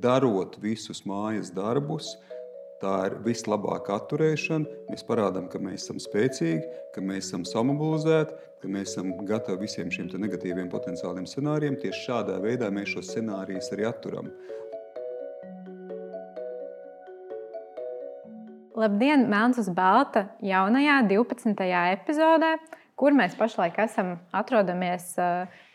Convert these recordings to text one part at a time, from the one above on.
darot visus mājas darbus, tā ir vislabākā atturēšana. Mēs parādām, ka mēs esam spēcīgi, ka mēs esam samobilizēti, ka mēs esam gatavi visiem šiem negatīviem potenciāliem scenārijiem. Tieši šādā veidā mēs šos scenārijus arī atturam. Labdien, melns uz balta jaunajā 12. epizodē, kur mēs pašlaik atrodamies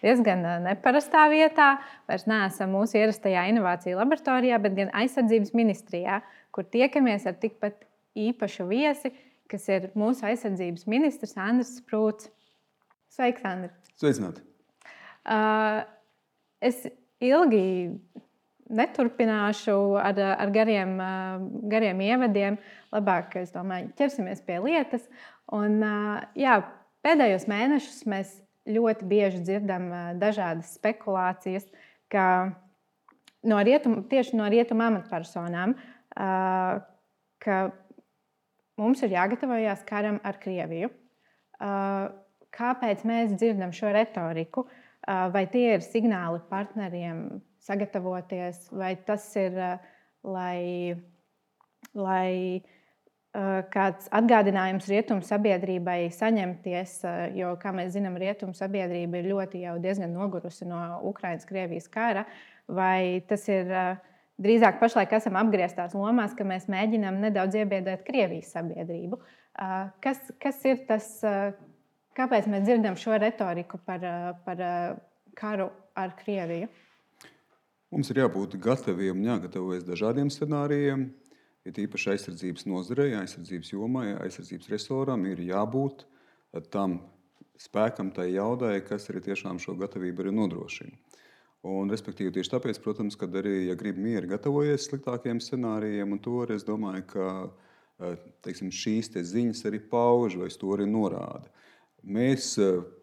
diezgan neparastā vietā. Vairs neesam mūsu ierastajā inovāciju laboratorijā, bet gan aizsardzības ministrijā, kur tiekamies ar tikpat īpašu viesi, kas ir mūsu aizsardzības ministrs Andris Sprūts. Sveiks, Andri! Sveicināti! Es ilgi neturpināšu ar gariem ievadiem. Labāk, es domāju, ķersimies pie lietas. Un, pēdējos mēnešus mēs ļoti bieži dzirdam dažādas spekulācijas, ka tieši no rietumu amatpersonām, ka mums ir jāgatavojas karam ar Krieviju. Kāpēc mēs dzirdam šo retoriku? Vai tie ir signāli partneriem sagatavoties, vai tas ir, lai kāds atgādinājums rietumu sabiedrībai saņemties, jo, kā mēs zinām, rietumu sabiedrība ir ļoti jau diezgan nogurusi no Ukrainas-Krievijas kara, vai tas ir drīzāk pašlaik esam apgrieztās lomās, ka mēs mēģinām nedaudz iebiedēt Krievijas sabiedrību. Kas ir tas, kāpēc mēs dzirdam šo retoriku par karu ar Krieviju? Mums ir jābūt gataviem un jāgatavojas dažādiem scenārijiem. Ir īpaši aizsardzības nozarei, aizsardzības jomai, aizsardzības resoram ir jābūt tam spēkam, tai jaudai, kas arī tiešām šo gatavību arī nodrošina. Un, respektīvi, tieši tāpēc, protams, kad arī, ja grib mieri gatavojies sliktākiem scenārijiem, un to arī es domāju, ka šīs ziņas arī pauž vai to arī norāda. Mēs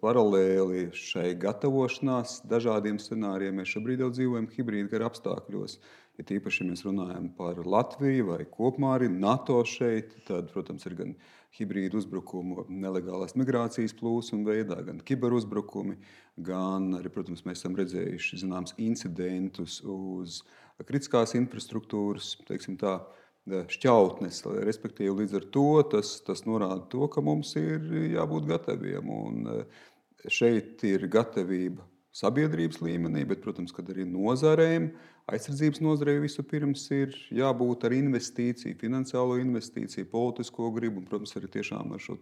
paralēli šai gatavošanās dažādiem scenārijiem, mēs šobrīd jau dzīvojam hibrīda kara apstākļos. Ja tīpaši, ja mēs runājam par Latviju vai kopumā arī NATO šeit, tad, protams, ir gan hibrīda uzbrukumu nelegālās migrācijas plūsmu veidā, gan kiberuzbrukumi, gan arī, protams, mēs esam redzējuši zināms incidentus uz kritiskās infrastruktūras, teiksim tā, šķautnes, respektīvi līdz ar to tas norāda to, ka mums ir jābūt gataviem. Un šeit ir gatavība sabiedrības līmenī, bet, protams, kad arī nozarēm, aizsardzības nozarei vispirms ir jābūt ar investīciju, finansiālo investīciju, politisko gribu un, protams, arī tiešām ar šo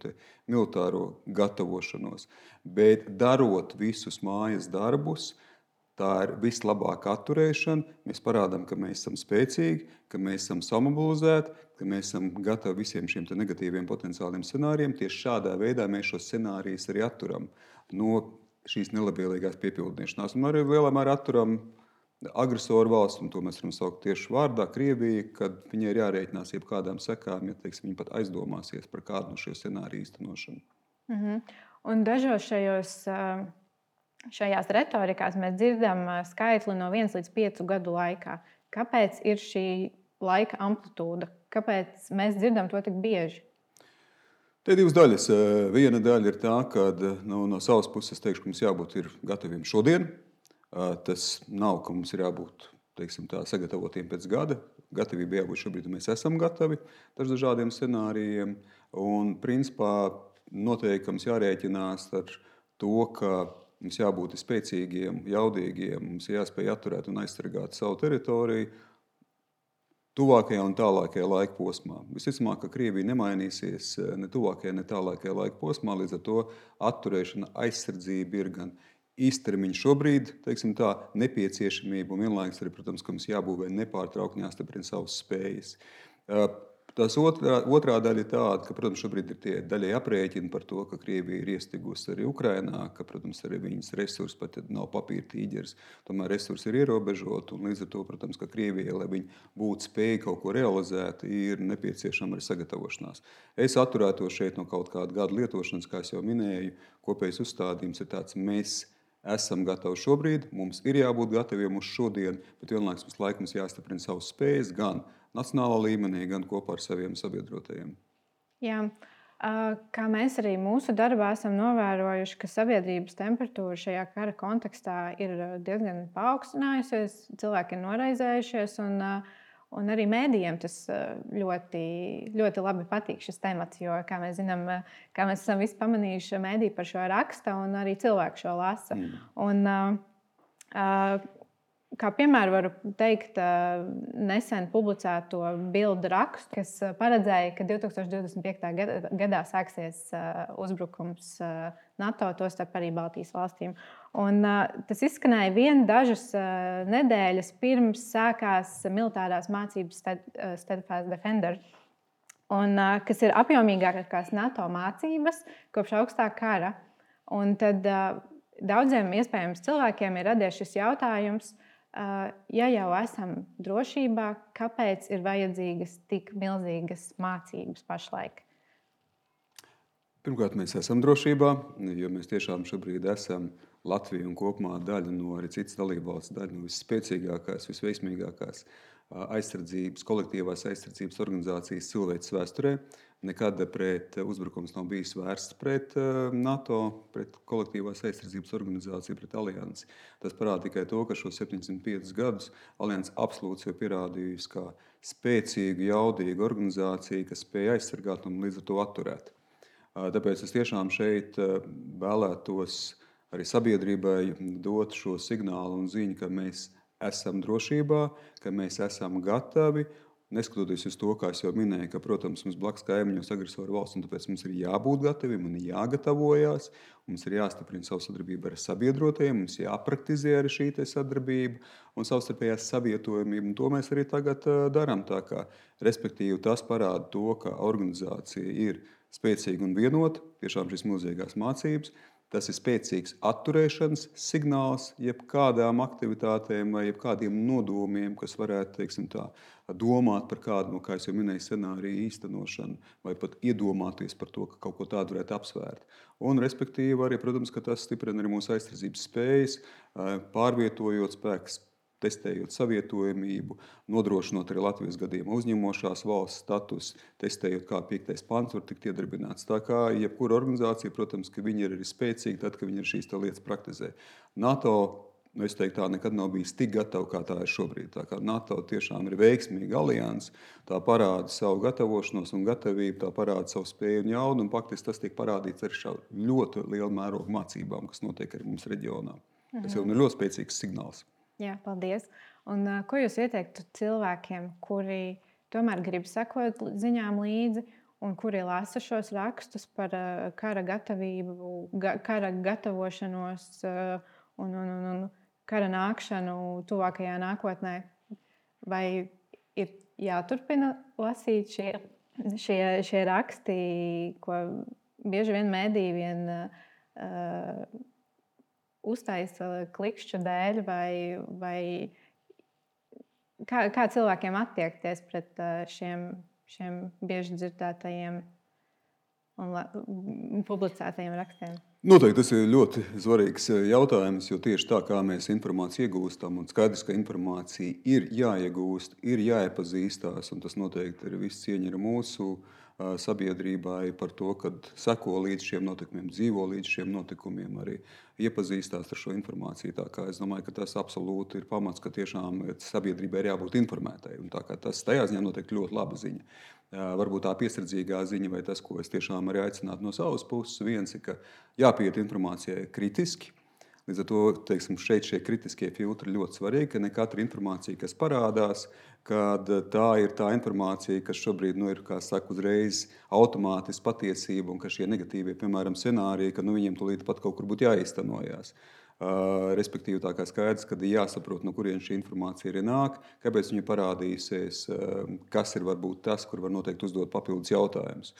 militāro gatavošanos. Bet darot visus mājas darbus, tā ir vislabākā atturēšana. Mēs parādām, ka mēs esam spēcīgi, ka mēs esam samobilizēti, ka mēs esam gatavi visiem šiem negatīviem potenciāliem scenārijiem. Tieši šādā veidā mēs šos scenārijus arī atturam no šīs nelabvēlīgās piepildīšanās. Un arī lielā mērā atturam agresoru valsts, un to mēs varam saukt tieši vārdā, Krievija, kad viņai ir jārēķinās jebkādām sekām, ja viņi pat aizdomāsies par kādu no šiem scenāriju īstenošanu. Un dažos šajās retorikās mēs dzirdam skaitli no 1 līdz 5 gadu laikā. Kāpēc ir šī laika amplitūda? Kāpēc mēs dzirdam to tik bieži? Te ir divas daļas. Viena daļa ir tā, ka no savas puses teikšu, ka mums jābūt gataviem šodien. Tas nav, ka mums ir jābūt sagatavotiem pēc gada. Gatavība jābūt šobrīd, mēs esam gatavi dažādiem scenārijiem. Un, principā, noteikti mums jārēķinās ar to, ka mums jābūt spēcīgiem, jaudīgiem, mums jāspēj atturēt un aizsargāt savu teritoriju tuvākajā un tālākajā laika posmā. Visticamāk, ka Krievija nemainīsies ne tuvākajā, ne tālākajā laika posmā, līdz ar to atturēšana, aizsardzība ir gan īstermiņa šobrīd, teiksim tā, nepieciešamība un vienlaikus arī, protams, ka mums jābūvē nepārtraukti jāstiprina savas spējas. Tas otrā daļa ir tāda, ka, protams, šobrīd ir tie daļai aprēķini par to, ka Krievija ir iestigusi arī Ukrainā, ka, protams, arī viņas resursi pat nav papīra tīģeris, tomēr resursi ir ierobežoti, un līdz ar to, protams, ka Krievijai, lai viņi būtu spēja kaut ko realizēt, ir nepieciešama arī sagatavošanās. Es atturētos šeit no kaut kāda gada lietošanas, kā es jau minēju, kopējs uzstādījums ir tāds, mēs esam gatavi šobrīd, mums ir jābūt gataviem uz šodien, bet vienlaikus mums laikams jāstiprina savas spējas gan nacionālā līmenī, gan kopā ar saviem sabiedrotajiem. Jā. Kā mēs arī mūsu darbā esam novērojuši, ka sabiedrības temperatūra šajā kara kontekstā ir diezgan paaugstinājusies, cilvēki ir noraizējušies, un arī mēdījiem tas ļoti, ļoti labi patīk šis temats, jo, kā mēs zinām, kā mēs esam visi pamanījuši, mēdī par šo raksta un arī cilvēki šo lasa. Un, kā piemēru varu teikt nesen publicēto bildu rakstu, kas paredzēja, ka 2025. gadā sāksies uzbrukums NATO, tostarp arī Baltijas valstīm. Un, tas izskanēja dažas nedēļas pirms sākās militārās mācības Steadfast Defender, un, kas ir apjomīgākās NATO mācības kopš augstā kara. Un tad daudziem iespējams cilvēkiem ir radies šis jautājums, ja jau esam drošībā, kāpēc ir vajadzīgas tik milzīgas mācības pašlaik? Pirmkārt, mēs esam drošībā, jo mēs tiešām šobrīd esam Latvija un kopumā daļa no arī citas dalībvalsts, daļa no visspēcīgākās, visveiksmīgākās kolektīvās aizsardzības organizācijas cilvēces vēsturē. Nekad pret uzbrukums nav bijis vērsts pret NATO, pret kolektīvās aizsardzības organizāciju, pret aliansi. Tas parāda tikai to, ka šo 705 gadus aliansi absolūti jau pierādījusi kā spēcīgu, jaudīgu organizāciju, kas spēj aizsargāt un līdz ar to atturēt. Tāpēc es tiešām šeit vēlētos arī sabiedrībai dot šo signālu un ziņu, ka mēs esam drošībā, ka mēs esam gatavi. Neskatoties uz to, kā es jau minēju, ka, protams, mums blakus kaimiņos agresoru valsts, un tāpēc mums ir jābūt gataviem un jāgatavojās. Mums ir jāstiprina savu sadarbību ar sabiedrotajiem, mums jāpraktizē arī šī sadarbība un savstarpējās savietojamība. Un to mēs arī tagad darām. Tā kā, respektīvi, tas parāda to, ka organizācija ir spēcīga un vienota, tiešām šīs milzīgās mācības. Tas ir spēcīgs atturēšanas signāls jebkādām aktivitātēm vai jebkādiem nodomiem, kas varētu, teiksim tā, domāt par kādu, kā es jau minēju, scenāriju īstenošanu vai pat iedomāties par to, ka kaut ko tādu varētu apsvērt. Un, respektīvi, arī, protams, ka tas stiprina arī mūsu aizsardzības spējas, pārvietojot spēkus, testējot savietojamību, nodrošinot arī Latvijas gadījumā uzņemošās valsts status, testējot, kā 5. pants var tikt iedarbināts. Tā kā jebkura organizācija, protams, ka viņi ir arī spēcīgi tad, kad viņi ir šīs lietas praktizē. NATO, es teiktu, tā nekad nav bijis tik gatava, kā tā ir šobrīd. Tā kā NATO tiešām ir veiksmīga alianse, tā parāda savu gatavošanos un gatavību, tā parāda savu spēju un jaudu, un faktiski tas tiek parādīts arī šā ļoti liela mēroga mācībām, kas notiek arī mums reģionā. Tas jau ir ļoti spēcīgs signāls. Jā, paldies. Un, ko jūs ieteiktu cilvēkiem, kuri tomēr grib sekot ziņām līdzi un kuri lasa šos rakstus par kara gatavību, kara gatavošanos un kara nākšanu tuvākajā nākotnē? Vai ir jāturpina lasīt šie raksti, ko bieži vien mēdī uztaisa klikšķu dēļ, vai kā cilvēkiem attiekties pret šiem bieži dzirdētajiem un publicētajiem rakstiem? Noteikti tas ir ļoti svarīgs jautājums, jo tieši tā kā mēs informāciju iegūstam, un skaidrs, ka informācija ir jāiegūst, ir jāiepazīstās, un tas noteikti ir viss cieņa ar mūsu sabiedrībai par to, kad seko līdz šiem notikumiem, dzīvo līdz šiem notikumiem, arī iepazīstās ar šo informāciju. Tā kā es domāju, ka tas absolūti ir pamats, ka tiešām sabiedrībai ir jābūt informētai. Un tā kā tas tajā ziņā noteikti ļoti laba ziņa. Varbūt tā piesardzīgā ziņa vai tas, ko es tiešām arī aicinātu no savas puses, viens ir, ka jāpieiet informācijai kritiski. Līdz ar to, teiksim, šeit šie kritiskie filtri ļoti svarīgi, ka ne katra informācija, kas parādās, kad tā ir tā informācija, kas šobrīd ir, kā saka, uzreiz automātiski patiesība un ka šie negatīvie, piemēram, scenāriji, ka viņiem tūlīt pat kaut kur būtu jāiztenojas. Respektīvi, tā kā skaidrs, ka ir jāsaprot, no kurienes šī informācija arī nāk, kāpēc viņa parādīsies, kas ir varbūt tas, kur var noteikti uzdot papildus jautājumus.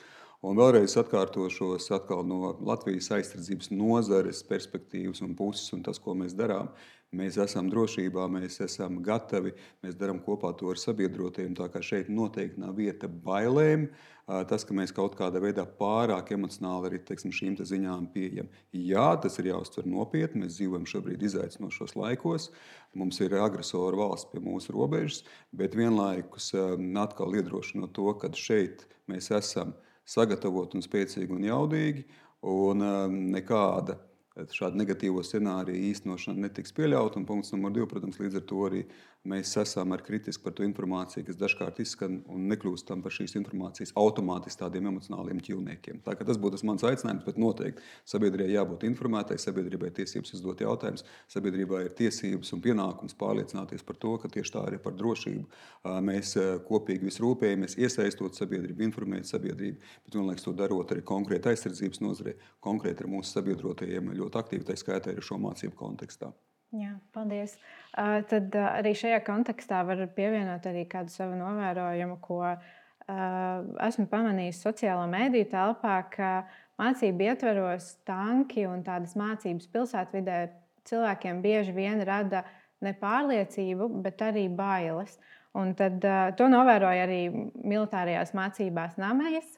Un vēlreiz atkārtošos no Latvijas aizsardzības nozares perspektīvas un puses un tas, ko mēs darām. Mēs esam drošībā, mēs esam gatavi, mēs darām kopā to ar sabiedrotiem, tā kā šeit noteikti nav vieta bailēm. Tas, ka mēs kaut kādā veidā pārāk emocionāli arī, teiksim, šīm ziņām pieejam. Jā, tas ir jāuztver nopietni, mēs dzīvojam šobrīd izaicinošos laikos, mums ir agresoru valsts pie mūsu robežas, bet vienlaikus atkal iedrošinot to, ka šeit mēs esam sagatavoti un spēcīgi un jaudīgi, un nekāda šāda negatīvo scenāriju īstenošana netiks pieļauta. Un punkts numur 2, protams, līdz ar to arī mēs esam kritiski par to informāciju, kas dažkārt izskan un nekļūstam par šīs informācijas automātiski tādiem emocionāliem ķīlniekiem. Tā kā tas būtu mans aicinājums, bet noteikti sabiedrībai jābūt informētai, sabiedrībai ir tiesības uzdot jautājumus, sabiedrībai ir tiesības un pienākums pārliecināties par to, ka tieši tā arī par drošību mēs kopīgi visu rūpējamies, iesaistot sabiedrību, informēt sabiedrību, bet vienlaikus to darot arī konkrēti aizsardzības nozarē, konkrēti ar mūsu sabiedrotajiem ļoti aktīvi, tā skaitā arī šo mācību kontekstā. Jā, paldies. Tad arī šajā kontekstā var pievienot arī kādu savu novērojumu, ko esmu pamanījis sociālo mediju telpā, ka mācību ietveros tanki un tādas mācības pilsētvidē cilvēkiem bieži vien rada ne pārliecību, bet arī bailes. Un tad to novēroja arī militārajās mācībās Namejas,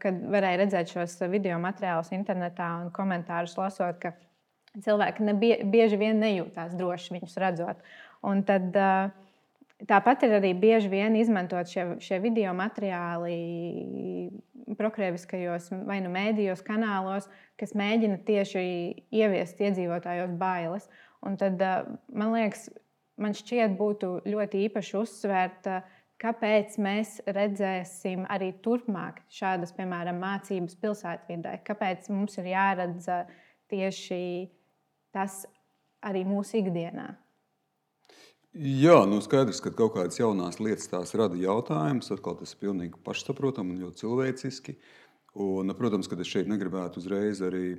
kad varēja redzēt šos video materiālus internetā un komentārus lasot, ka cilvēki bieži vien nejūtās droši viņus redzot. Un tad, tāpat ir arī bieži vien izmantot šie video materiāli prokrieviskajos vai nu mēdījos, kanālos, kas mēģina tieši ieviest iedzīvotājos bailes. Un tad, man šķiet, būtu ļoti īpaši uzsvērt, kāpēc mēs redzēsim arī turpmāk šādas, piemēram, mācības pilsētvidē. Kāpēc mums ir jāredz tieši tas arī mūsu ikdienā? Jā, skaidrs, ka kaut kādas jaunās lietas tās rada jautājumus. Atkal tas ir pilnīgi pašsaprotami un ļoti cilvēciski. Un, protams, ka es šeit negribētu uzreiz arī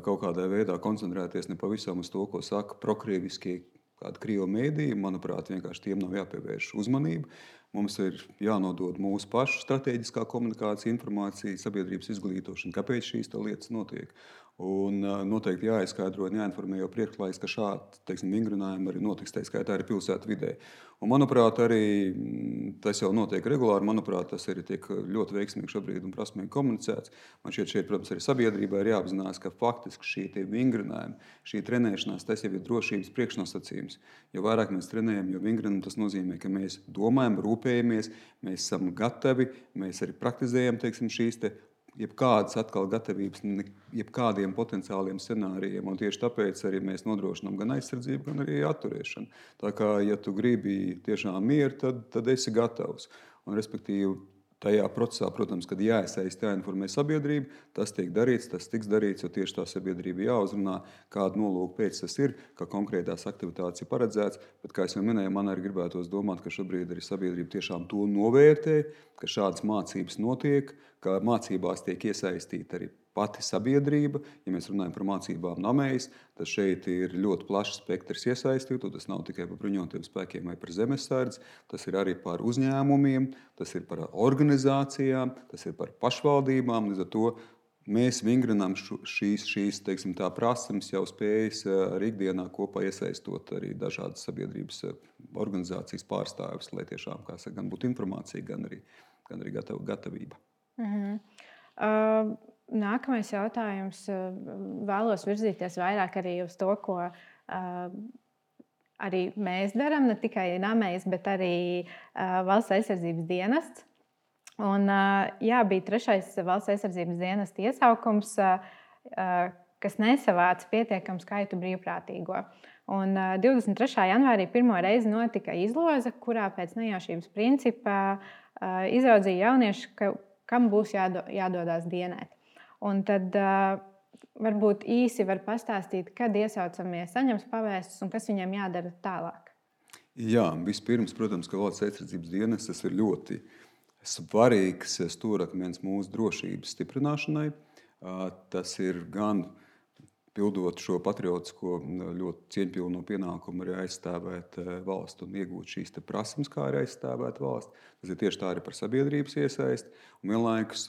kaut kādā veidā koncentrēties ne pavisam uz to, ko saka prokrieviskie kādi krievu mēdīji. Manuprāt, vienkārši tiem nav jāpievērš uzmanība. Mums ir jānodod mūsu pašu strateģiskā komunikācija, informācija, sabiedrības izglītošana, kāpēc šīs lietas notiek. Un noteikti jāizskaidro un jāinformē jau priekšklājs, ka šādi vingrinājumi arī notiks, tā skaitā arī pilsētu vidē. Un, manuprāt, arī tas jau notiek regulāri. Manuprāt, tas arī tiek ļoti veiksmīgi šobrīd un prasmīgi komunicēts. Man šeit, protams, arī sabiedrībai ir jāapzinās, ka faktiski šie vingrinājumi, šī trenēšanās, tas jau ir drošības priekšnosacījums. Jo vairāk mēs trenējam, jo vingrinam, tas nozīmē, ka mēs domājam, rūpējamies, mēs esam gatavi, mēs arī praktizējam, šīs jebkādas atkal gatavības, jebkādiem potenciāliem scenārijiem. Un tieši tāpēc arī mēs nodrošinām gan aizsardzību, gan arī atturēšanu. Tā kā, ja tu gribi tiešām mieru, tad esi gatavs. Un, respektīvi, tajā procesā, protams, kad jāiesaist, jāinformē sabiedrība, tas tiek darīts, tas tiks darīts, jo tieši tā sabiedrība jāuzrunā, kādu nolūku pēc tas ir, ka konkrētās aktivitātes ir paredzēts. Bet, kā es jau minēju, man arī gribētos domāt, ka šobrīd arī sabiedrība tiešām to novērtē, ka šādas mācības notiek, ka mācībās tiek iesaistīta arī pati sabiedrība. Ja mēs runājam par mācībām Namejas, tad šeit ir ļoti plašs spektrs iesaistītu. Tas nav tikai par bruņotajiem spēkiem vai par zemesardzi, tas ir arī par uzņēmumiem, tas ir par organizācijām, tas ir par pašvaldībām. Līdz ar to mēs vingrinām šīs prasmes, jau spējas arī ikdienā kopā iesaistot arī dažādas sabiedrības organizācijas pārstāvis, lai tiešām, kā saka, gan būtu informācija, gan arī gatavība. Nākamais jautājums. Vēlos virzīties vairāk arī uz to, ko arī mēs darām, ne tikai Namejas, bet arī Valsts aizsardzības dienests. Un, bija 3. Valsts aizsardzības dienesta iesaukums, kas nesavāca pietiekamu skaitu brīvprātīgo. Un 23. janvārī pirmo reizi notika izloze, kurā pēc nejaušības principa izraudzīja jaunieši, kam būs jādodas dienēt. Un tad varbūt īsi var pastāstīt, kad iesaucamie saņems pavēstus un kas viņiem jādara tālāk. Jā, vispirms, protams, ka Valsts aizsardzības dienests tas ir ļoti svarīgs stūrakmens mūsu drošības stiprināšanai. Tas ir gan pildot šo patriotisko, ļoti cieņpilno pienākumu arī aizstāvēt valstu un iegūt šīs prasmes, kā arī aizstāvēt valsti. Tas ir tieši tā arī par sabiedrības iesaisti. Un vienlaikus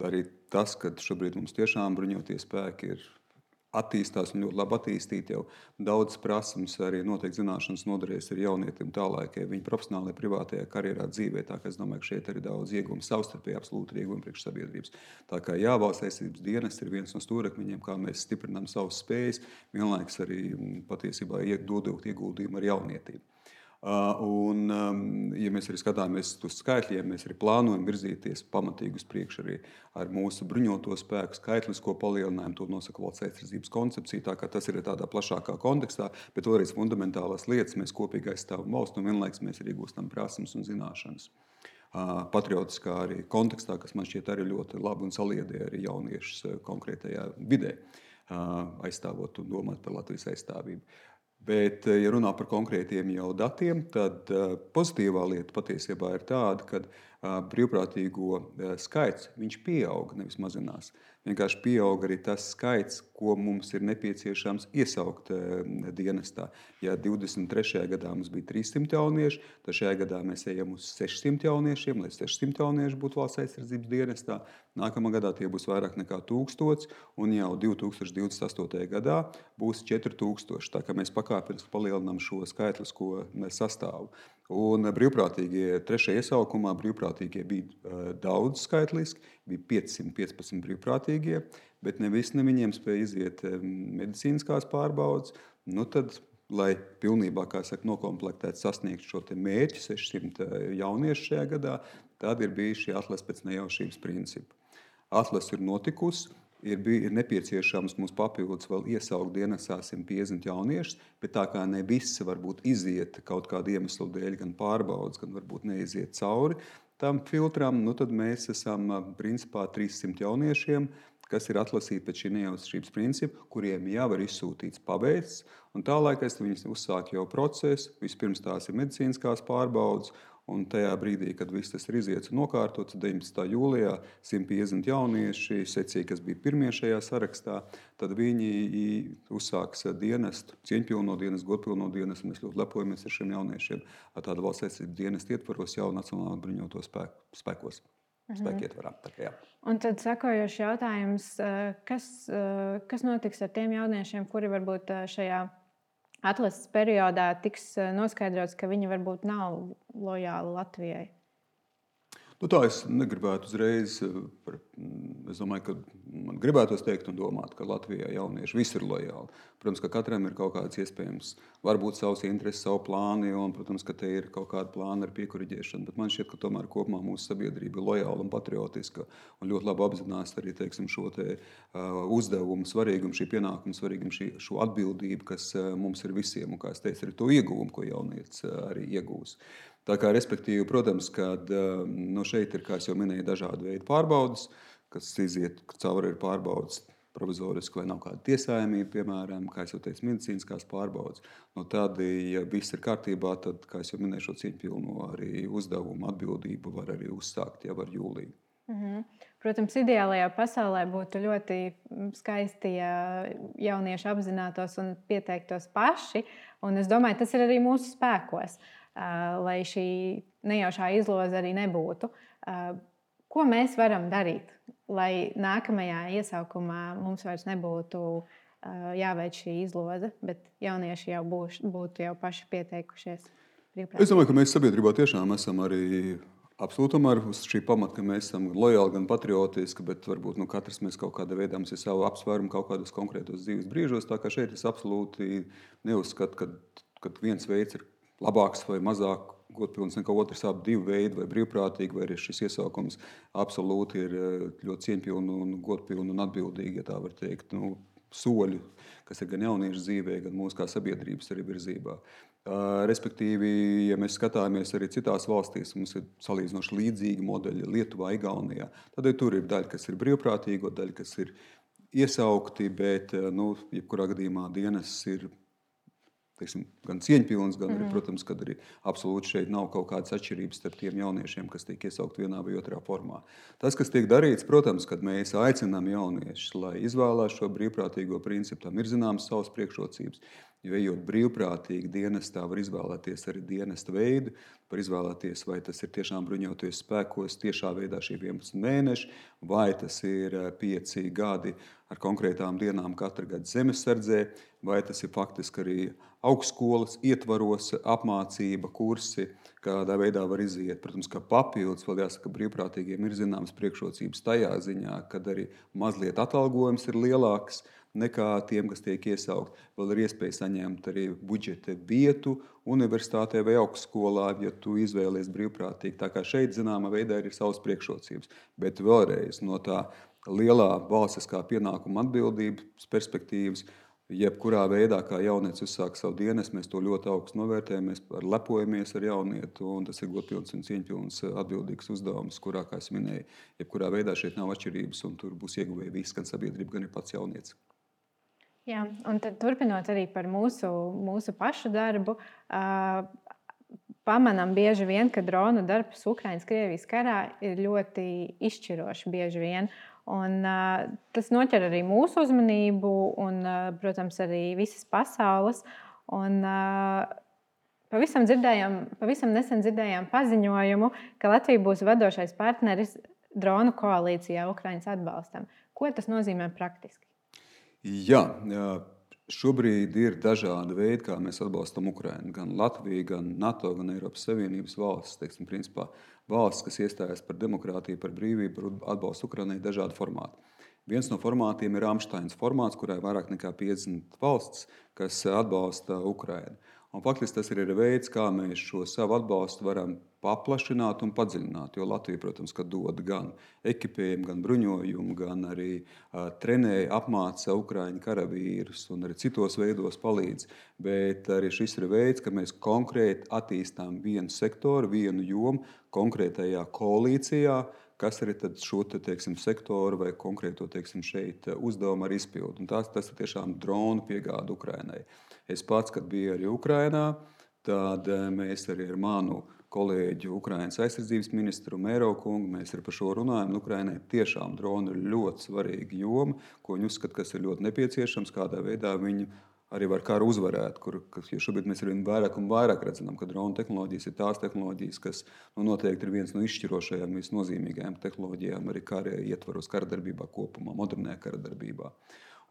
arī tas, ka šobrīd mums tiešām bruņotie spēki ir attīstās un ļoti labi attīstīti, jau daudz prasmes arī noteikti zināšanas noderēs ar jaunietim tālāk, viņa profesionālajā, privātajā karjerā dzīvē. Tā kā es domāju, ka šeit arī daudz ieguvumu, savstarpēji absolūti ieguvumu priekš sabiedrības. Tā kā jā, Valsts aizsardzības dienests ir viens no stūrakmeņiem, kā mēs stiprinām savas spējas, vienlaikus arī patiesībā dodot ieguldījumu ar jaunietību. Ja mēs arī skatāmies uz skaitļiem, mēs arī plānojam virzīties pamatīgi uz priekšu arī ar mūsu bruņoto spēku skaitlisko palielinājumu. To nosaka valsts aizsardzības koncepcija, tā kā tas ir tādā plašākā kontekstā, bet vēlreiz fundamentālās lietas mēs kopīgi aizstāvam valstu un vienlaikus mēs arī gūstam prasmes un zināšanas. Patriotiskā arī kontekstā, kas man šķiet arī ļoti labi un saliedē arī jauniešus konkrētajā vidē, aizstāvot un domāt par Latvijas aizstāvību. Bet, ja runā par konkrētiem jau datiem, tad pozitīvā lieta patiesībā ir tāda, ka brīvprātīgo skaits viņš pieaug, nevis mazinās. Vienkārši pieaug arī tas skaits, ko mums ir nepieciešams iesaukt dienestā. Ja 23. gadā mums bija 300 jaunieši, tad šajā gadā mēs ejam uz 600 jauniešiem, lai 600 jaunieši būtu valsts aizsardzības dienestā. Nākamā gadā tie būs vairāk nekā 1000, un jau 2028. gadā būs 4000. Tā kā mēs pakāpeniski palielinām šo skaitlisko sastāvu. Un brīvprātīgie trešajā iesaukumā brīvprātīgie bija daudz skaitliski, bija 515 brīvprātīgie, bet ne visi no viņiem spēja iziet medicīniskās pārbaudes. Nu tad, lai pilnībā, kā saka, nokomplektēt, sasniegt šo mērķi 600 jauniešu šajā gadā, tad ir bijis šī atlase pēc nejaušības principa. Atlase ir notikusi. Ir nepieciešams mums papildus vēl iesaukt dienestā 150 jauniešus, bet tā kā ne visi varbūt iziet kaut kādu iemeslu dēļ, gan pārbaudas, gan varbūt neiziet cauri tam filtram, nu tad mēs esam principā 300 jauniešiem, kas ir atlasīti pēc šī nejaušības principa, kuriem jau ir izsūtīts paveikts, un tālāk viņi uzsāk jau procesu. Vispirms tās ir medicīniskās pārbaudas, un tajā brīdī, kad viss tas ir iziets un nokārtots, 19. jūlijā 150 jaunieši secīgi, kas bija pirmie šajā sarakstā, tad viņi uzsāks dienestu, cieņpilno dienestu, godpilno dienestu. Mēs ļoti lepojamies ar šiem jauniešiem tāda valsts aizsardzības dienesta ietvaros jau Nacionālā bruņoto spēkos. Spēku ietvarā. Un tad sekojošs jautājums, kas notiks ar tiem jauniešiem, kuri varbūt šajā atlases periodā tiks noskaidrots, ka viņi varbūt nav lojāli Latvijai? Nu, tā es negribētu uzreiz. Es domāju, ka man gribētos teikt un domāt, ka Latvijā jaunieši visi ir lojāli. Protams, ka katram ir kaut kāds iespējams, varbūt savs intereses, savu plānu, un, protams, ka te ir kaut kāda plāna ar piekuriģēšanu. Bet man šķiet, ka tomēr kopumā mūsu sabiedrība ir lojāla un patriotiska un ļoti labi apzinās arī, teiksim, šo uzdevumu svarīgumu, šī pienākumu svarīgumu, šo atbildību, kas mums ir visiem, un, kā es teicu, arī to ieguvumu, ko jaunietis arī iegūs. Tā kā, respektīvi, protams, kad šeit ir, kā jau minēju, dažādi veidi pārbaudas, kas iziet cauri ir pārbaudas provizoriski vai nav kāda tiesājumība, piemēram, kā jau teicu, medicīniskās pārbaudas. Tad, ja viss ir kārtībā, tad, kā jau minēju, šo cieņpilno arī uzdevumu atbildību var arī uzsākt jau ar jūliju. Protams, ideālajā pasaulē būtu ļoti skaisti, ja jaunieši apzinātos un pieteiktos paši. Un es domāju, tas ir arī mūsu spēkos, lai šī nejaušā izloze arī nebūtu. Ko mēs varam darīt, lai nākamajā iesaukumā mums vairs nebūtu jāveic šī izloze, bet jaunieši jau būtu jau paši pieteikušies? Es domāju, ka mēs sabiedrībā tiešām esam arī absolūtam ar šī pamata, ka mēs esam lojāli, gan patriotiski, bet varbūt katrs mēs kaut kādā veidā mums ir savu apsvērumu kaut kādos konkrētos dzīves brīžos. Tā kā šeit es absolūti neuzskatu, ka viens veids ir labāks vai mazāk godpilns nekā otrs, abi divi veidi, vai brīvprātīgi, vai arī šis iesaukums absolūti ir ļoti cieņpilni un godpilni un atbildīgi, ja tā var teikt, soļi, kas ir gan jauniešu dzīvē, gan mūsu kā sabiedrības arī virzībā. Respektīvi, ja mēs skatāmies arī citās valstīs, mums ir salīdzinoši līdzīgi modeļi Lietuvā, Igaunijā, tad tur ir daļa, kas ir brīvprātīgo, daļa, kas ir iesaukti, bet jebkurā gadījumā dienests ir gan cieņpilns, gan arī, protams, kad arī absolūti šeit nav kaut kādas atšķirības starp tiem jauniešiem, kas tiek iesaukti vienā vai otrā formā. Tas, kas tiek darīts, protams, kad mēs aicinām jauniešus, lai izvēlās šo brīvprātīgo principu, tam ir zināmas savas priekšrocības. Jo ejot brīvprātīgi dienestā, var izvēlēties arī dienesta veidu, var izvēlēties, vai tas ir tiešām bruņoties spēkos tiešā veidā šie 11 mēneši, vai tas ir 5 gadi ar konkrētām dienām katru gadu zemesardzē, vai tas ir faktiski arī augstskolas ietvaros apmācība, kursi, kādā veidā var iziet. Protams, ka papildus vēl jāsaka, brīvprātīgiem ir zināmas priekšrocības tajā ziņā, kad arī mazliet atalgojums ir lielāks nekā tiem, kas tiek iesaukt. Vēl ir iespēja saņemt arī budžeta vietu universitātē vai augstskolā, ja tu izvēlies brīvprātīgi. Tā kā šeit zināmā veidā ir savas priekšrocības. Bet vēlreiz no tā lielā valstiskā pienākuma atbildības perspektīvas, jebkurā veidā, kā jaunietis uzsāk savu dienestu, mēs to ļoti augstu novērtējam, mēs lepojamies ar jaunietu, un tas ir godpilns un cieņpilns atbildīgs uzdevums, kurā, kā es minēju, jebkurā veidā šeit nav atšķirības, un tur būs ieguvēji visi, gan sabiedrība, gan ir pats jaunietis. Jā, un tad, turpinot arī par mūsu pašu darbu, pamanām bieži vien, ka dronu darbs Ukraiņas-Krievijas karā ir ļoti izšķirošs bieži vien. Un, tas noķer arī mūsu uzmanību un, protams, arī visas pasaules. Un, pavisam nesen dzirdējām paziņojumu, ka Latvija būs vadošais partneris dronu koalīcijā Ukraiņas atbalstam. Ko tas nozīmē praktiski? Jā, šobrīd ir dažādi veidi, kā mēs atbalstam Ukrainu. Gan Latvija, gan NATO, gan Eiropas Savienības valstis. Teiksim, principā, valstis, kas iestājas par demokrātiju, par brīvību, par atbalstu Ukrainai, ir dažādi formāti. Viens no formātiem ir Ramsteins formāts, kurā ir vairāk nekā 50 valstis, kas atbalsta Ukrainu. Un faktiski tas ir veids, kā mēs šo savu atbalstu varam paplašināt un padziļināt. Jo Latvija, protams, dod gan ekipējumu, gan bruņojumu, gan arī trenē, apmāca Ukraiņu karavīrus un arī citos veidos palīdz. Bet arī šis ir veids, ka mēs konkrēti attīstām vienu sektoru, vienu jomu konkrētajā koalīcijā, kas arī šo sektoru vai konkrēto šeit uzdevumu arī izpildu. Un tas ir tiešām dronu piegāde Ukrainai. Es pats, kad biju arī Ukrainā, tad mēs arī ar manu kolēģi Ukrainas aizsardzības ministru Mēro kungu, mēs arī par šo runājam. Ukrainai tiešām droni ir ļoti svarīga joma, ko viņi uzskata, kas ir ļoti nepieciešams, kādā veidā viņi arī var karu uzvarēt. Jo šobrīd mēs arvien vairāk un vairāk redzam, ka dronu tehnoloģijas ir tās tehnoloģijas, kas noteikti ir viens no izšķirošajām, visnozīmīgākajām tehnoloģijām arī kara ietvaros, kara darbībā kopumā, modernajā kara darbībā.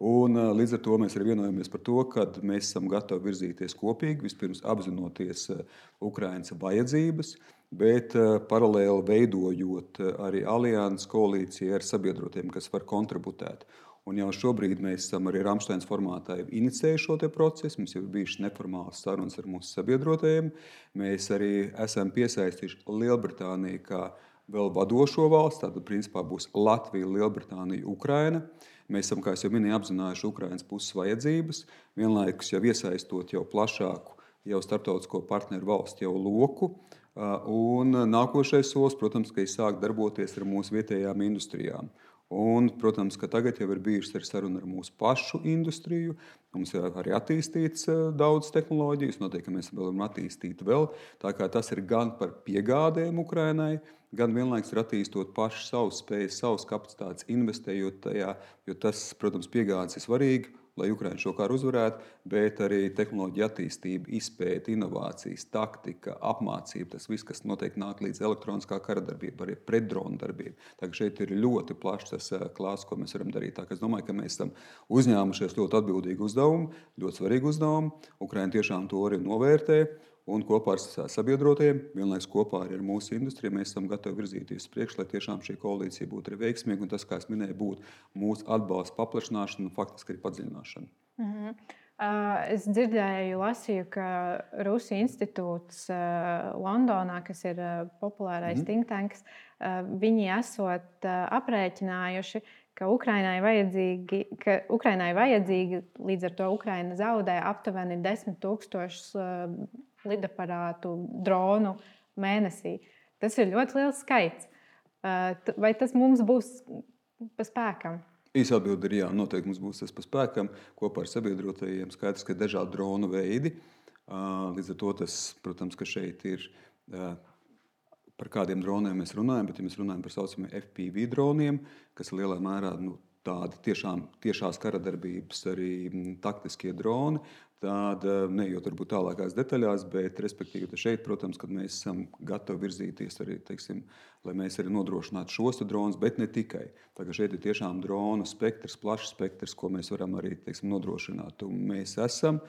Un, līdz ar to mēs arī vienojamies par to, ka mēs esam gatavi virzīties kopīgi, vispirms apzinoties Ukrainas vajadzības, bet paralēli veidojot arī alianses koalīciju ar sabiedrotiem, kas var kontributēt. Un jau šobrīd mēs esam arī Ramsteins formātā inicējuši šo procesu. Mums jau ir bijušas neformālas sarunas ar mūsu sabiedrotajiem. Mēs arī esam piesaistījuši Lielbritāniju kā vēl vadošo valsts. Tātad, principā, būs Latvija, Lielbritānija, Ukraina. Mēs esam, kā jau minēju, apzinājuši Ukrainas puses vajadzības, vienlaikus jau iesaistot jau plašāku starptautisko partneru valstu loku. Un nākošais solis, protams, ka ir sākt darboties ar mūsu vietējām industrijām. Un, protams, ka tagad jau ir bijušas arī saruna ar mūsu pašu industriju. Mums ir arī attīstīts daudz tehnoloģijas, noteikti, ka mēs varam attīstīt vēl. Tā kā tas ir gan par piegādēm Ukrainai, gan vienlaikus ir attīstot pašu savus spējas, savus kapacitātes, investējot tajā, jo tas, protams, piegādes ir svarīgi, lai Ukraina šo karu uzvarētu, bet arī tehnoloģija attīstība, izpēte, inovācijas, taktika, apmācība, tas viss, kas noteikti nāk līdz elektroniskā kara darbība, arī pretdrona darbība. Tā kā šeit ir ļoti plašs tas klāsts, ko mēs varam darīt. Tā kā es domāju, ka mēs esam uzņēmušies ļoti atbildīgu uzdevumu, ļoti svarīgu uzdevumu. Ukraina tiešām to arī novērtē. Un kopā ar sabiedrotajiem, vienlaikus kopā ar mūsu industriju, mēs esam gatavi virzīties uz priekšu, lai tiešām šī koalīcija būtu arī veiksmīga. Un tas, kā es minēju, būtu mūsu atbalsta paplašināšana un faktiski arī padziļināšana. Es dzirdēju, lasīju, ka Rusija institūts Londonā, kas ir populārais think tanks, viņi esot aprēķinājuši, ka Ukrainai vajadzīgi, līdz ar to Ukraina zaudē aptuveni 10,000 lidaparātu, dronu mēnesī. Tas ir ļoti liels skaits. Vai tas mums būs pa spēkam? Īsa atbilde ir jā, noteikti mums būs tas pa spēkam. Kopā ar sabiedrotajiem skaidrs, ka ir dažādi dronu veidi. Līdz ar to tas, protams, ka šeit ir par kādiem droniem mēs runājam, bet ja mēs runājam par saucamiem FPV droniem, kas lielā mērā tādi tiešās karadarbības arī taktiskie droni. Tāda, neejot varbūt tālākās detaļās, bet respektīvi šeit, protams, kad mēs esam gatavi virzīties arī, teiksim, lai mēs arī nodrošinātu šos dronus, bet ne tikai. Tā kā šeit ir tiešām dronu spektrs, plašs spektrs, ko mēs varam arī, teiksim, nodrošināt. Un mēs esam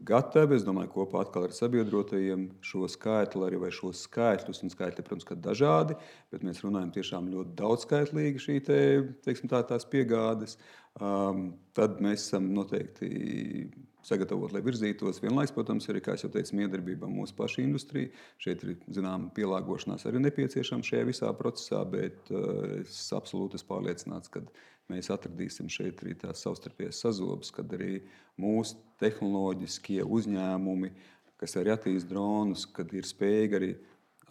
gatavi, es domāju, kopā atkal ar sabiedrotajiem šo skaitli arī vai šos skaitļus, un skaitļi, protams, ka dažādi, bet mēs runājam tiešām ļoti daudzskaitlīgi šī teiksim, tās piegādes. Tad mēs esam noteikti sagatavot, lai virzītos. Vienlaiks, protams, arī, kā jau teicu, miedarbībā mūsu paša industrija. Šeit ir, zinām, pielāgošanās arī nepieciešama šajā visā procesā, bet es absolūti esmu pārliecināts, ka mēs atradīsim šeit arī tās savstarpējas sazobes, kad arī mūsu tehnoloģiskie uzņēmumi, kas arī attīst dronus, kad ir spējīgi arī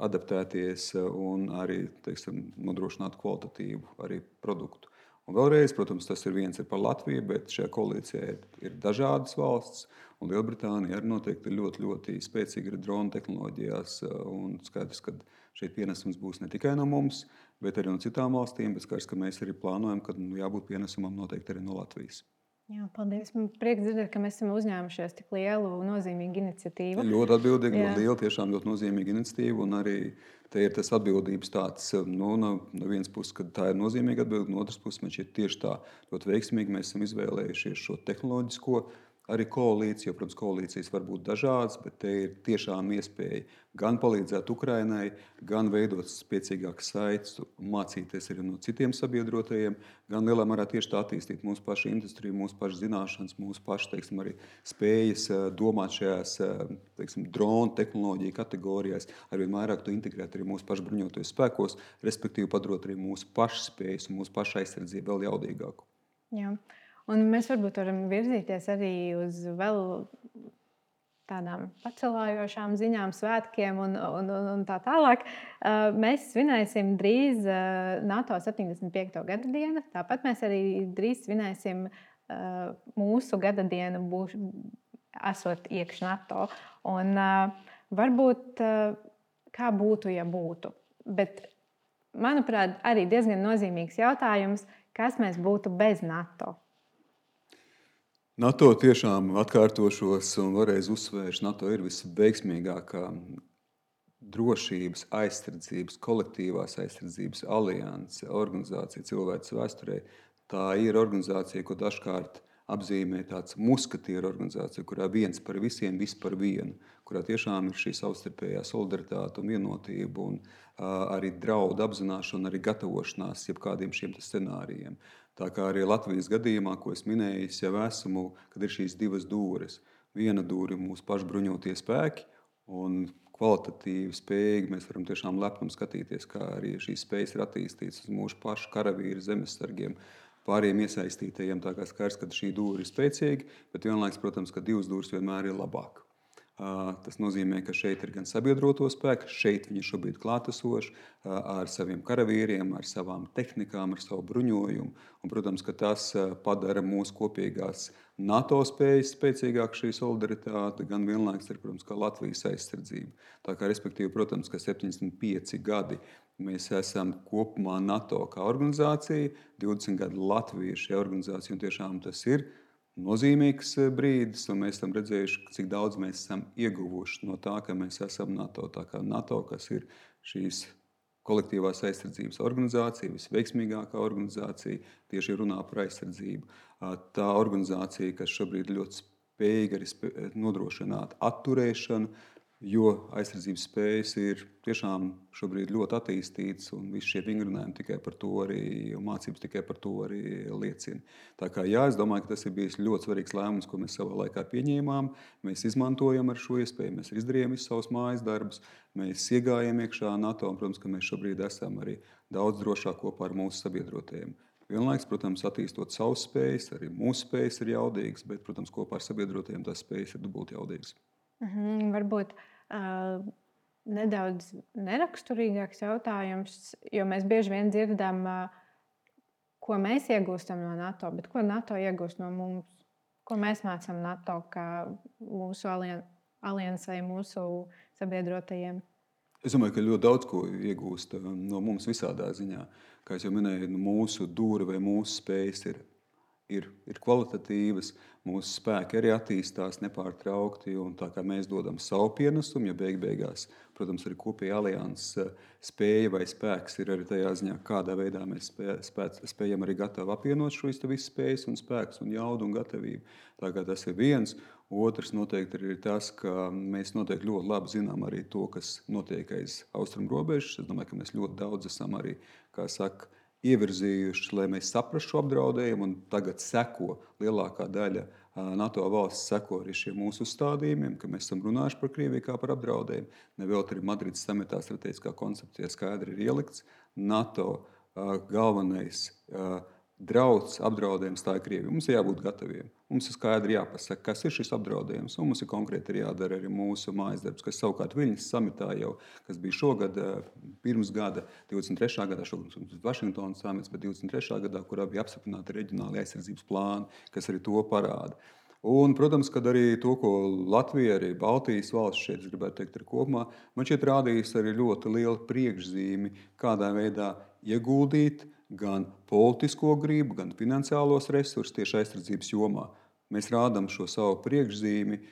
adaptēties un arī, teiksim, nodrošināt kvalitatīvu arī produktu. Un vēlreiz, protams, tas ir viens par Latviju, bet šajā koalīcijā ir dažādas valsts, un Lielbritānija arī noteikti ir ļoti, ļoti spēcīga arī dronu tehnoloģijās, un skaidrs, ka šeit pienesums būs ne tikai no mums, bet arī no citām valstīm, bet skaidrs, ka mēs arī plānojam, ka jābūt pienesumam noteikti arī no Latvijas. Jā, paldies. Man prieks dzirdēt, ka mēs esam uzņēmušies tik lielu un nozīmīgu iniciatīvu. Ļoti atbildīga, ļoti liela, tiešām ļoti nozīmīga iniciatīva, un arī te ir tas atbildības tāds, no vienas puses, kad tā ir nozīmīga atbildība, no otras puses, man šķiet tieši tā ļoti veiksmīgi mēs esam izvēlējušies šo tehnoloģisko arī koalīciju, jo, protams, koalīcijas var būt dažādas, bet te ir tiešām iespēja gan palīdzēt Ukrainai, gan veidot spēcīgākas saites, mācīties arī no citiem sabiedrotajiem, gan lielā mērā tieši tā attīstīt mūsu pašu industriju, mūsu pašu zināšanas, mūsu pašu, teiksim, arī spējas domāt šajās, teiksim, dronu tehnoloģiju kategorijās, arvien vairāk to integrēt arī mūsu pašu bruņotajos spēkos, respektīvi padarot arī mūsu pašu spējas un mūsu pašu aizsardzību vēl jaudīgāku. Jā. Un mēs varbūt varam virzīties arī uz vēl tādām pacelājošām ziņām, svētkiem un tā tālāk. Mēs svinēsim drīz NATO 75. gada dienu. Tāpat mēs arī drīz svinēsim mūsu gada dienu, esot iekš NATO. Un varbūt kā būtu, ja būtu. Bet, manuprāt, arī diezgan nozīmīgs jautājums, kas mēs būtu bez NATO. NATO tiešām atkārtošos un vēlreiz uzsvēršu, NATO ir visveiksmīgākā drošības, aizsardzības, kolektīvās aizsardzības alianse, organizācija cilvēces vēsturē. Tā ir organizācija, ko dažkārt apzīmē tāds muskatieru organizācija, kurā viens par visiem, viss par vienu, kurā tiešām ir šī savstarpējā solidaritāte un vienotība un arī draudu apzināšana, arī gatavošanās jebkādiem šiem scenārijiem. Tā kā arī Latvijas gadījumā, ko es minēju, jau esmu, kad ir šīs divas dūres. Viena dūre ir mūsu pašu bruņotie spēki, un kvalitatīvi spējīgi mēs varam tiešām lepnam skatīties, kā arī šīs spējas ir attīstītas uz mūsu pašu karavīru, zemesargiem, pāriem iesaistītajiem. Tā kā skaidrs, ka šī dūre ir spēcīga, bet vienlaiks, protams, ka divas dūres vienmēr ir labāk. Tas nozīmē, ka šeit ir gan sabiedroto spēku, šeit viņi šobrīd klātesoši ar saviem karavīriem, ar savām tehnikām, ar savu bruņojumu. Un, protams, ka tas padara mūsu kopīgās NATO spējas spēcīgāk šī solidaritāte, gan vienlaiks ir, protams, kā Latvijas aizsardzība. Tā kā, respektīvi, protams, ka 75 gadi mēs esam kopumā NATO kā organizācija, 20 gadi Latvija ir šī organizācija, un tiešām tas ir nozīmīgs brīdis, un mēs esam redzējuši, cik daudz mēs esam ieguvuši no tā, ka mēs esam NATO. Tā kā NATO, kas ir šīs kolektīvās aizsardzības organizācija, visveiksmīgākā organizācija, tieši runā par aizsardzību. Tā organizācija, kas šobrīd ļoti spējīga arī nodrošināt atturēšanu, jo aizsardzības spējas ir tiešām šobrīd ļoti attīstītas, un visi šie vingrinājumi tikai par to arī, mācības tikai par to arī liecina. Tā kā jā, es domāju, ka tas ir bijis ļoti svarīgs lēmums, ko mēs savā laikā pieņēmām. Mēs izmantojam ar šo iespēju, mēs izdarījām visus savus mājas darbus, mēs iegājām iekšā NATO, un, protams, ka mēs šobrīd esam arī daudz drošāk kopā ar mūsu sabiedrotajiem. Vienlaiks, protams, attīstot savas spējas, arī mūsu spējas ir jaudīgas, bet, protams, kopā ar sabiedrotajiem tās spējas ir dubulti jaudīgas. Varbūt nedaudz neraksturīgāks jautājums, jo mēs bieži vien dzirdam, ko mēs iegūstam no NATO, bet ko NATO iegūst no mums? Ko mēs mācām NATO kā mūsu aliansai, mūsu sabiedrotajiem? Es domāju, ka ļoti daudz ko iegūst no mums visādā ziņā. Kā jau minēju, mūsu dūri vai mūsu spējas ir kvalitatīvas, mūsu spēki arī attīstās nepārtraukti. Tā kā mēs dodam savu pienesumu, ja beigās, protams, arī kopēja alianses spēja vai spēks ir arī tajā ziņā, kādā veidā mēs spējam arī gatavi apvienot šīs visas spējas un spēkus un jaudu un gatavību. Tā kā tas ir viens. Otrs noteikti ir tas, ka mēs noteikti ļoti labi zinām arī to, kas notiek aiz austrumu robežas. Es domāju, ka mēs ļoti daudz esam arī, kā saka, ievirzījuši, lai mēs saprastu šo apdraudējumu, un tagad seko lielākā daļa NATO valsts seko arī šiem mūsu uzstādījumiem, ka mēs esam runājuši par Krieviju kā par apdraudējumu. Nevēl arī Madrides samitā strateģiskā koncepcijā skaidri ir ielikts NATO galvenais drauds, apdraudējums, tā ir Krievija. Mums ir jābūt gataviem. Mums ir skaidri jāpasaka, kas ir šis apdraudējums, un mums ir konkrēti jādara arī mūsu mājas darbs, kas savukārt Viļņas samitā jau, kas bija šogad, pirms gada, 23. gadā, šogad Vašingtonas samits, bet 23. gadā, kurā bija apstiprināti reģionāli aizsardzības plāni, kas arī to parāda. Un, protams, kad arī to, ko Latvija, arī Baltijas valsts šeit, es gribētu teikt, ir kopumā, man šeit rādījis arī ļoti liela priekšzīmi, kādā veidā ieguldīt gan politisko gribu, gan finansiālos resursus tieši aizsardzības jomā. Mēs rādām šo savu priekšzīmi,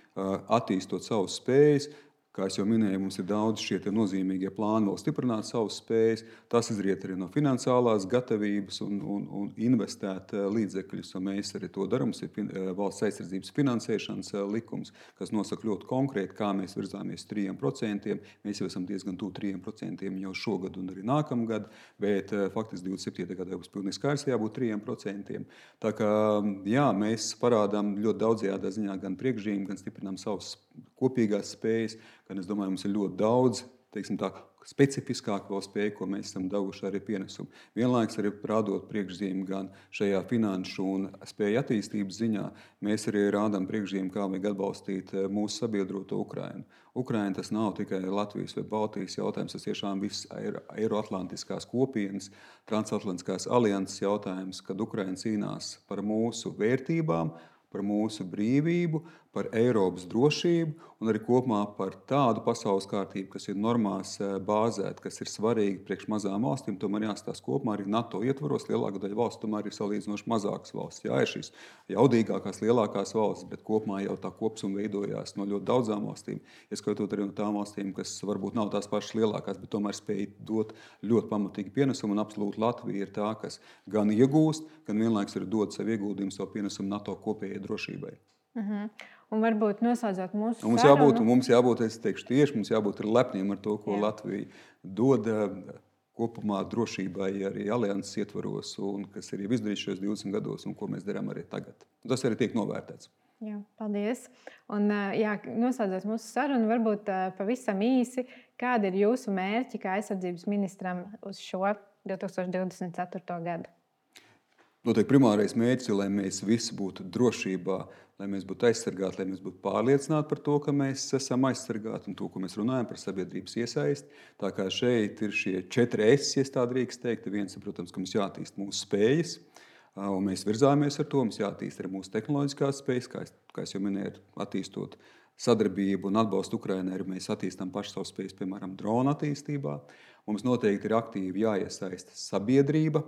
attīstot savas spējas. Kā jau minēju, mums ir daudz šie nozīmīgie plāni vēl stiprināt savas spējas. Tas izriet arī no finansiālās gatavības un investēt līdzekļus. Mēs arī to darām. Mums ir valsts aizsardzības finansēšanas likums, kas nosaka ļoti konkrēti, kā mēs virzāmies 3%. Mēs jau esam diezgan tuvu 3% jau šogad un arī nākamgad, bet faktiski 27. gadā būs pilnīgi skaidrs, jābūt 3%. Tā kā jā, mēs parādām ļoti daudzajādā ziņā gan priekšzīmi, gan stiprinām savas kopīgās spējas, gan es domāju, mums ir ļoti daudz, teiksim tā, specifiskāk vēl spēju, ko mēs esam devuši arī pienesumu. Vienlaiks arī rādot priekšzīmi gan šajā finanšu un spēju attīstības ziņā, mēs arī rādām priekšzīmi, kā vajag atbalstīt mūsu sabiedroto Ukrainu. Ukraina tas nav tikai Latvijas vai Baltijas jautājums, tas tiešām viss Eiroatlantiskās kopienas, transatlantiskās alianses jautājums, kad Ukraina cīnās par mūsu vērtībām, par mūsu brīvību, par Eiropas drošību un arī kopumā par tādu pasaules kārtību, kas ir normās bāzēta, kas ir svarīga priekš mazām valstīm. Tomēr jāstāsta kopumā arī NATO ietvaros. Lielākā daļa valsts tomēr ir salīdzinoši mazākas valsts. Jā, ir šīs jaudīgākās, lielākās valstis, bet kopumā jau tā kopsuma veidojās no ļoti daudzām valstīm. Ieskaitot arī no tām valstīm, kas varbūt nav tās pašas lielākās, bet tomēr spēj dot ļoti pamatīgi pienesumu. Un absolūti Latvija ir tā, kas gan iegūst, gan vienlaiks arī dod savu ieguldījumu, savu pienesumu NATO kopējai drošībai. Un varbūt noslēdzot mūsu sarunu. Mums jābūt, es teikšu tieši, mums jābūt lepniem ar to, ko Latvija dod kopumā drošībai arī alianses ietvaros, un kas ir jau izdarīts šajos 20 gados, un ko mēs darām arī tagad. Tas arī tiek novērtēts. Jā, paldies. Un, noslēdzot mūsu sarunu, varbūt pavisam īsi, kādi ir jūsu mērķi kā aizsardzības ministram uz šo 2024. gadu? Noteikti primārais mērķis ir, lai mēs visi būtu drošībā, lai mēs būtu aizsargāti, lai mēs būtu pārliecināti par to, ka mēs esam aizsargāti un to, ko mēs runājam par sabiedrības iesaisti. Tā kā šeit ir šie 4 S, ja tā drīkst teikt. Viens ir, protams, ka mums jāattīst mūsu spējas, un mēs virzāmies ar to. Mums jāattīst arī mūsu tehnoloģiskās spējas, kā es jau minēju, attīstot sadarbību un atbalstu Ukrainai, arī mēs attīstām pašu savu spējas, piemēram, drona attīstībā. Mums noteikti ir aktīvi jāiesaista sabiedrība.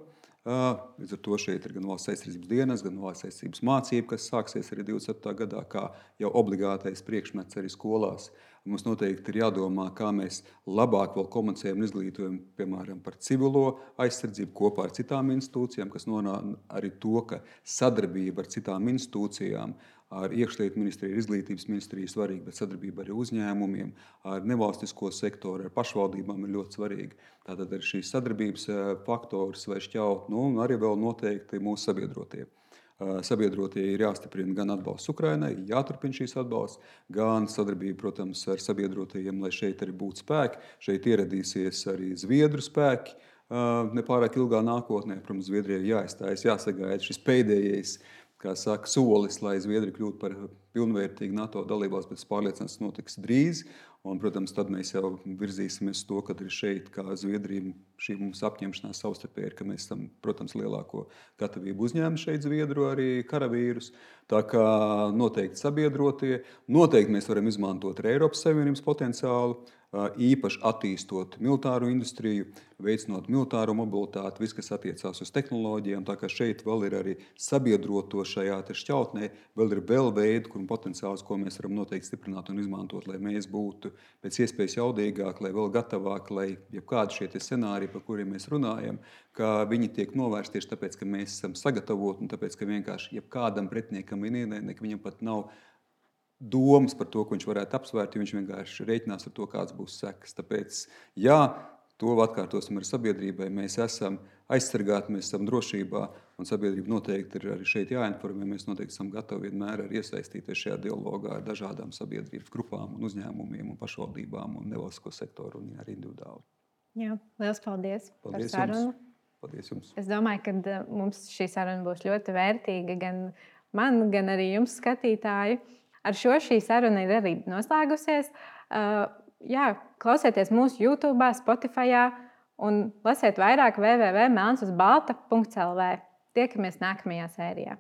Līdz ar to šeit ir gan valsts aizsardzības dienas, gan valsts aizsardzības mācība, kas sāksies arī 27. gadā, kā jau obligātais priekšmets arī skolās. Mums noteikti ir jādomā, kā mēs labāk vēl komunicējam un izglītojam, piemēram, par civilo aizsardzību kopā ar citām institūcijām, kas norāda arī to, ka sadarbība ar citām institūcijām, ar iekšlietu ministriju, izglītības ministriju svarīga, bet sadarbība arī uzņēmumiem, ar nevalstisko sektoru, ar pašvaldībām ir ļoti svarīga. Tātad ar šīs sadarbības faktors vai šķaut, un arī vēl noteikti mūsu sabiedrotie. Sabiedrotie ir jāstiprina gan atbalsts Ukrainai, jāturpina šīs atbalsts, gan sadarbība, protams, ar sabiedrotajiem, lai šeit arī būtu spēki. Šeit ieradīsies arī Zviedru spēki nepārāk ilgā nākotnē. Protams, Zviedrijai jāizstājas, jāsagaida šis pēdējais, kā saka, solis, lai Zviedrija kļūtu par pilnvērtīgu NATO dalībvalsti, bet es pārliecināts, tas notiks drīz. Un, protams, tad mēs jau virzīsimies to, ka ir šeit, kā Zviedrija, šī mums apņemšanās savstarpēji ir, ka mēs esam, protams, lielāko gatavību uzņēmuši šeit Zviedru arī karavīrus. Tā kā noteikti sabiedrotie, noteikti mēs varam izmantot arī Eiropas Savienības potenciālu. īpaši attīstot militāro industriju, veicinot militāro mobilitāti, viss, kas attiecās uz tehnoloģijām. Tā kā šeit vēl ir arī sabiedroto šajā šķautnē, vēl ir veidi, kur potenciāls, ko mēs varam noteikti stiprināt un izmantot, lai mēs būtu pēc iespējas jaudīgāki, lai vēl gatavāki, lai jebkādi šie scenāriji, par kuriem mēs runājam, ka viņi tiek novērsti tieši tāpēc, ka mēs esam sagatavoti un tāpēc, ka vienkārši jebkādam pretiniekam viņam pat nav domas par to, ko viņš varētu apsvērt, jo viņš vienkārši rēķinās ar to, kāds būs sekas. Tāpēc, jā, to atkārtosim ar sabiedrībai. Mēs esam aizsargāti, mēs esam drošībā, un sabiedrība noteikti ir arī šeit jāinformē. Mēs noteikti esam gatavi vienmēr arī iesaistīties šajā dialogā ar dažādām sabiedrības grupām, un uzņēmumiem, un pašvaldībām, un nevalstisko sektoru, un arī individuāli. Jā, liels paldies par Paldies sarunu. jums. Paldies jums. Es domāju, ka mums šī saruna būs ļoti vērtīga gan man, gan arī jums, skatītāji. Ar šo šī saruna ir arī noslēgusies. Jā, klausieties mūsu YouTube, Spotify un lasiet vairāk www.melnsuzbalta.lv. Tiekamies nākamajā sērijā.